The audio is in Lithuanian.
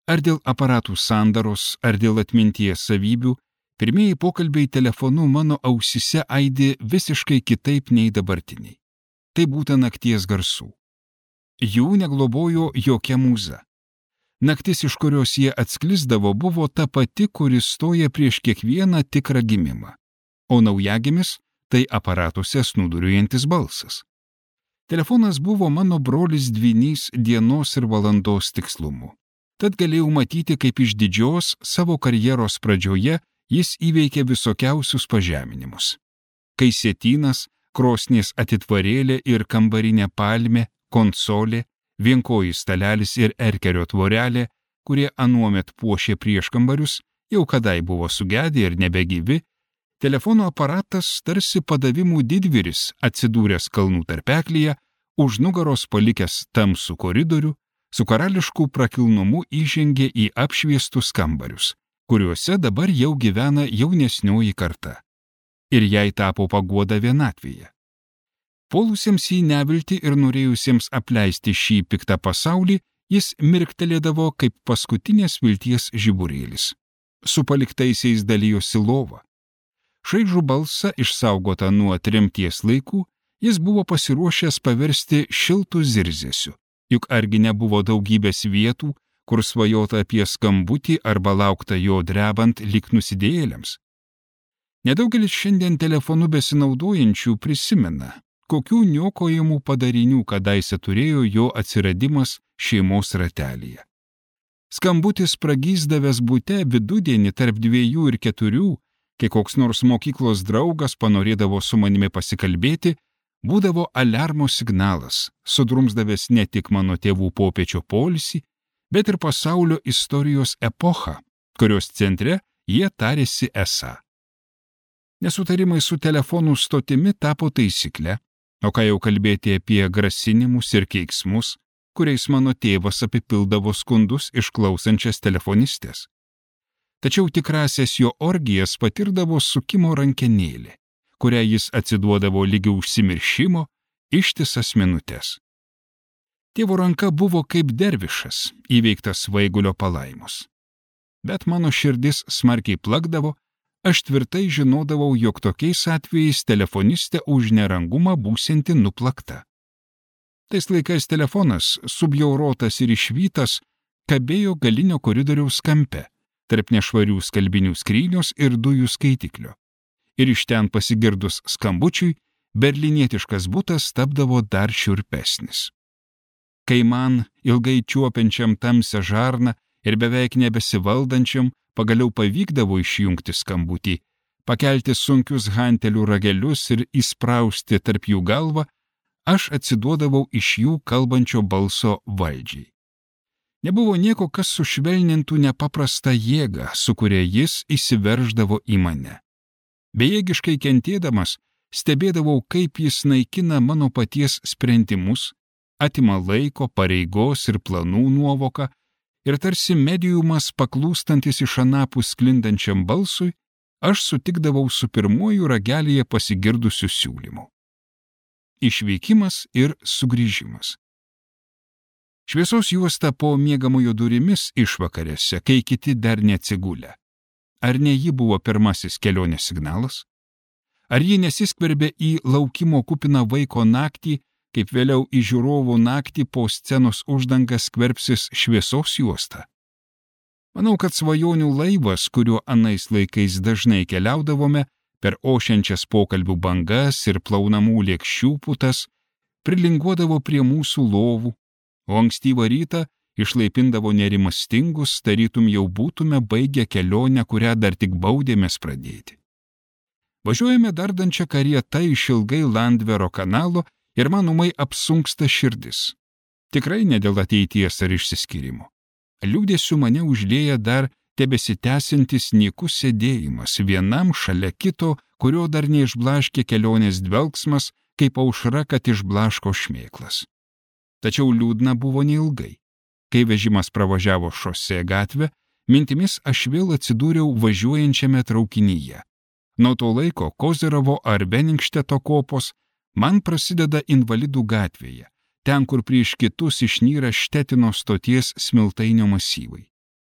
Ar dėl aparatų sandaros, ar dėl atminties savybių, pirmieji pokalbiai telefonu mano ausise aidi visiškai kitaip nei dabartiniai. Tai būta nakties garsų. Jų neglobojo jokia mūza. Naktis, iš kurios jie atsklisdavo, buvo ta pati, kuri stoja prieš kiekvieną tikrą gimimą. O naujagimis – tai aparatuose snūduriuojantis balsas. Telefonas buvo mano brolis dvynys dienos ir valandos tikslumu. Tad galėjau matyti, kaip iš didžios savo karjeros pradžioje jis įveikė visokiausius pažeminimus. Kai sietynas, krosnies atitvarėlė ir kambarinė palmė, konsolė, vienkojis stalelis ir erkerio tvorelė, kurie anuomet puošė prieškambarius, jau kadai buvo sugedę ir nebegyvi, telefono aparatas tarsi padavimų didvyris atsidūręs kalnų tarpeklyje, už nugaros palikęs tamsų koridorių, su karališku prakilnumu įžengė į apšviestus kambarius, kuriuose dabar jau gyvena jaunesnioji karta. Ir jai tapo paguoda vienatvėje. Puolusiems į neviltį ir norėjusiems apleisti šį piktą pasaulį, jis mirktelėdavo kaip paskutinės vilties žiburėlis. Su paliktaisiais dalijosi lova. Šaižų balsą, išsaugotą nuo tremties laikų, jis buvo pasiruošęs paversti šiltų zirzesiu, juk argi nebuvo daugybės vietų, kur svajota apie skambutį arba laukta jo drebant lyg nusidėjėliams. Nedaugelis šiandien telefonu besinaudojančių prisimena, kokių niokojimų padarinių kadaise turėjo jo atsiradimas šeimos ratelyje. Skambutis pragyzdavęs bute vidudienį tarp 2 ir 4, kai koks nors mokyklos draugas panorėdavo su manimi pasikalbėti, būdavo aliarmo signalas, sudrumsdavęs ne tik mano tėvų popiečio poilsį, bet ir pasaulio istorijos epochą, kurios centre jie tarėsi esą. Nesutarimai su telefonų stotimi tapo taisykle, o ką jau kalbėti apie grasinimus ir keiksmus, kuriais mano tėvas apipildavo skundus išklausančias telefonistės. Tačiau tikrasias jo orgijas patirdavo sukimo rankenėlė, kurią jis atsiduodavo lygi užsimiršimo ištisas minutės. Tėvo ranka buvo kaip dervišas, įveiktas svaigulio palaimos. Bet mano širdis smarkiai plakdavo, aš tvirtai žinodavau, jog tokiais atvejais telefonistė už nerangumą būsianti nuplakta. Tais laikais telefonas, subjaurotas ir išvytas, kabėjo galinio koridoriaus kampe, tarp nešvarių skalbinių skrynios ir dujų skaitiklio. Ir iš ten pasigirdus skambučiui, berlinietiškas butas tapdavo dar šiurpesnis. Kai man, ilgai čiuopiančiam tamsią žarną ir beveik nebesivaldančiam, pagaliau pavykdavo išjungti skambutį, pakelti sunkius hantelių ragelius ir įsprausti tarp jų galvą, aš atsiduodavau iš jų kalbančio balso valdžiai. Nebuvo nieko, kas sušvelnintų nepaprastą jėgą, su kuria jis įsiverždavo į mane. Bejėgiškai kentėdamas, stebėdavau, kaip jis naikina mano paties sprendimus, atima laiko, pareigos ir planų nuovoką, ir tarsi mediumas paklūstantis iš anapus sklindančiam balsui, aš sutikdavau su pirmuoju ragelyje pasigirdusiu siūlymu. Išvykimas ir sugrįžimas. Šviesos juosta po miegamojo durimis išvakarėse, kai kiti dar neatsigulę. Ar ne ji buvo pirmasis kelionės signalas? Ar ji nesiskverbė į laukimo kupiną vaiko naktį, kaip vėliau į žiūrovų naktį po scenos uždangą skverbsis šviesos juosta? Manau, kad svajonių laivas, kuriuo anais laikais dažnai keliaudavome, per ošiančias pokalbių bangas ir plaunamų lėkščių putas, prilinguodavo prie mūsų lovų, o ankstyvą rytą išlaipindavo nerimastingus, tarytum jau būtume baigę kelionę, kurią dar tik baudėmės pradėti. Važiuojame dardančią karietą išilgai Landvero kanalo ir man ūmai apsunksta širdis. Tikrai ne dėl ateities ar išsiskyrimo. Liūdėsiu mane užlieja dar tebesitęsiantis nykus sėdėjimas vienam šalia kito, kurio dar neišblaškė kelionės dvelgsmas, kaip aušra, kad išblaško šmėklas. Tačiau liūdna buvo neilgai. Kai vežimas pravažiavo šosė gatvę, mintimis aš vėl atsidūriau važiuojančiame traukinyje. Nuo to laiko Kozerovo ar Beningsteto kopos man prasideda Invalidų gatvėje, ten, kur prieš kitus išnyra Štetino stoties Smiltainio masyvai.